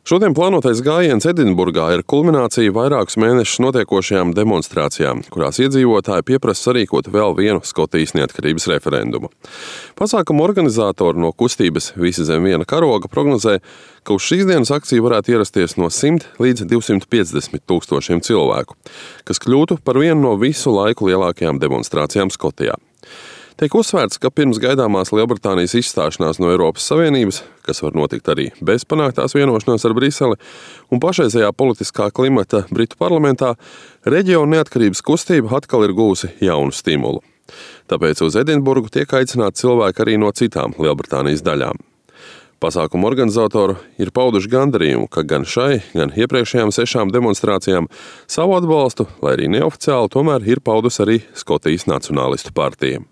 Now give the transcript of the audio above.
Šodien plānotais gājiens Edinburgā ir kulminācija vairākus mēnešus notiekošajām demonstrācijām, kurās iedzīvotāji pieprasa sarīkot vēl vienu Skotijas neatkarības referendumu. Pasākuma organizatori no kustības Visi zem viena karoga prognozē, ka uz šīs dienas akciju varētu ierasties no 100 līdz 250 tūkstošiem cilvēku, kas kļūtu par vienu no visu laiku lielākajām demonstrācijām Skotijā. Tiek uzsvērts, ka pirms gaidāmās Lielbritānijas izstāšanās no Eiropas Savienības, kas var notikt arī bez panāktās vienošanās ar Briseli, un pašreizējā politiskā klimata Britu parlamentā, reģiona neatkarības kustība atkal ir guvusi jaunu stimulu. Tāpēc uz Edinburgu tiek aicināti cilvēki arī no citām Lielbritānijas daļām. Pasākuma organizatori ir pauduši gandarījumu, ka gan šai, gan iepriekšējām 6 demonstrācijām savu atbalstu, lai arī neoficiāli, tomēr ir paudusi arī Skotijas Nacionālistu partija.